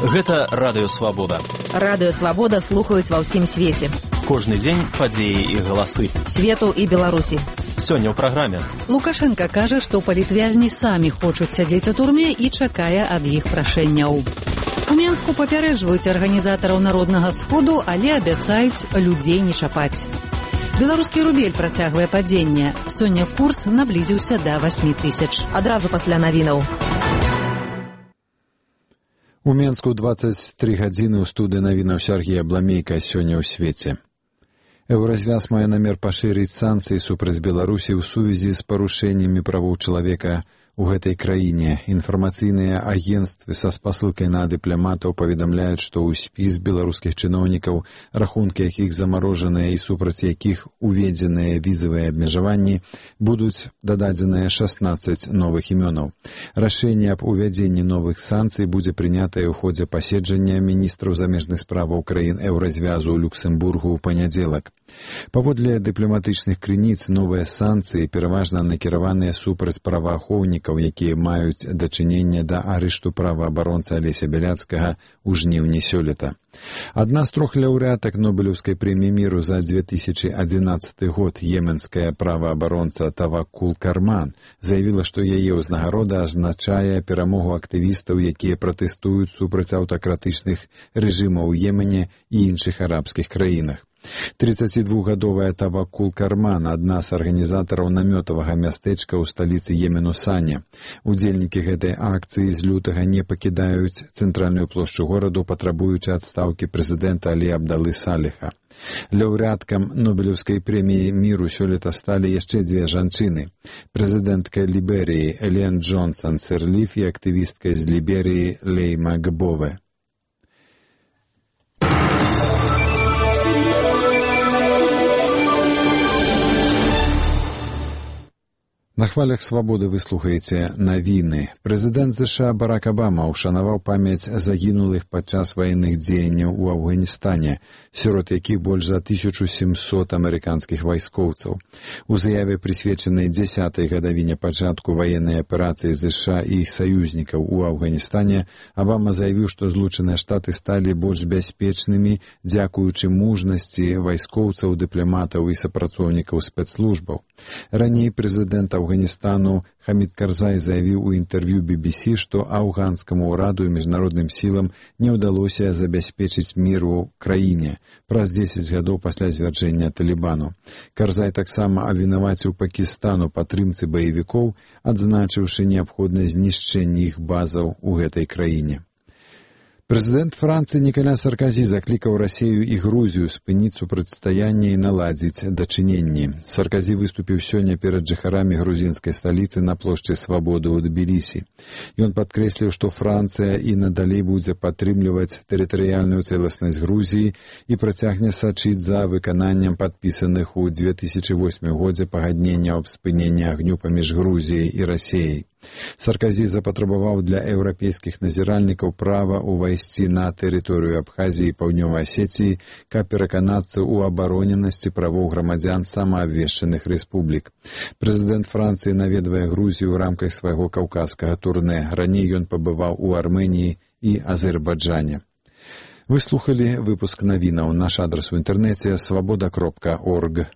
Гэта Радыё Свабода. Радыё Свабода слухаюць ва ўсім свеце. Кожны дзень падзеі і галасы. Свету і Беларусі. Сёння ў праграме. Лукашенко кажа, што палітвязні самі хочуць сядзець у турме і чакае ад іх прашэнняў. У Менску папярэджваюць арганізатараў Народнага сходу, але абяцаюць людзей не чапаць. Беларускі рубель працягвае падзенне. Сёння курс наблізіўся да 8 тысяч. Адразу пасля навінаў. У Менску 23 гадзіны ў студыі навінаў Сергія Бламейка сёння ў свеце. Еўразвяз мае намер пашырыць санкцыі супраць Беларусі ў сувязі з парушэннямі правоў чалавека у гэтай краіне. Інфармацыйныя агенцтвы са спасылкай на дыпламатаў паведамляюць, што ў спіс беларускіх чыноўнікаў, рахункі якіх замарожаныя і супраць якіх уведзеныя візавыя абмежаванні, будуць дададзеныя 16 новых імёнаў. Рашэнне аб увядзенні новых санкцый будзе прынятае ў ходзе паседжання міністраў замежных справаў краін Еўразвязу ў Люксембургу ў панядзелак. Паводле дыпламатычных крыніц, новыя санкцыі пераважна накіраваныя супраць праваахоўнікаў, якія маюць дачыненне да арышту праваабаронца Алеся Бяляцкага ў жніўні сёлета. Адна з 3 лаўрэатак Нобелеўскай прэміі міру за 2011 год, йеменская праваабаронца Таваккул Карман, заявіла, што яе ўзнагарода азначае перамогу актывістаў, якія пратэстуюць супраць аўтакратычных рэжымаў у Йемене і іншых арабскіх краінах. 32-гадовая Таваккул Карман, адна з арганізатараў намётавага мястэчка ў сталіцы Йемену Саня. Удзельнікі гэтай акцыі з лютага не пакідаюць цэнтральную плошчу гораду, патрабуючы адстаўкі прэзідэнта Алі Абдалы Саліха. Лаўрэаткам Нобелеўскай прэміі міру сёлета сталі яшчэ 2 жанчыны. Прэзідэнтка Ліберыі Елен Джонсон Сірліф і актывістка з Ліберыі Лейма Гбове. На хвалях свабоды вы слухаеце навіны. Прэзідэнт США Барак Абама ушанаваў памяць загінулых падчас ваенных дзеянняў у Афганістане, сярод якіх больш за 1700 амерыканскіх вайскоўцаў. У заяве, прысвечанай 10-й гадавіне пачатку ваеннай аперацыі США і іх саюзнікаў у Афганістане, Абама заявіў, што Злучаныя Штаты сталі больш бяспечнымі дзякуючы мужнасці вайскоўцаў, дыпламатаў і супрацоўнікаў спецслужбаў. Раней прэзідэнт Афганістану Хамід Карзай заявіў у інтэрв'ю BBC, што афганскаму ўраду і міжнародным сілам не ўдалося забяспечыць мір у краіне праз 10 гадоў пасля звяржэння Талібану. Карзай таксама абвінаваціў Пакістан у падтрымцы баевікоў, адзначыўшы неабходнасць знішчэння іх базаў у гэтай краіне. Прэзідэнт Францыі Нікаля Сарказі заклікаў Расею і Грузію спыніць супрацьстаянне і наладзіць дачыненні. Сарказі выступіў сёння перад жыхарамі грузінскай сталіцы на плошчы Свабоды ў Тбілісі. Ён падкрэсліў, што Францыя і надалей будзе падтрымліваць тэрытарыяльную цэласнасць Грузіі і працягне сачыць за выкананнем падпісаных у 2008 годзе пагаднення аб спыненні агню паміж Грузіяй і Расеяй. Сарказі запатрабаваў для еўрапейскіх назіральнікаў права ўвайсці на тэрыторыю Абхазіі і Паўднёвай Асеціі, каб пераканацца ў абароненасці правоў грамадзян самаабвешчаных рэспублік. Прэзідэнт Францыі наведвае Грузію ў рамках свайго каўказскага турнэ. Раней ён пабываў у Арменіі і Азербайджане. Вы слухалі выпуск навінаў. Наш адрас у інтэрнэце свабода.орг.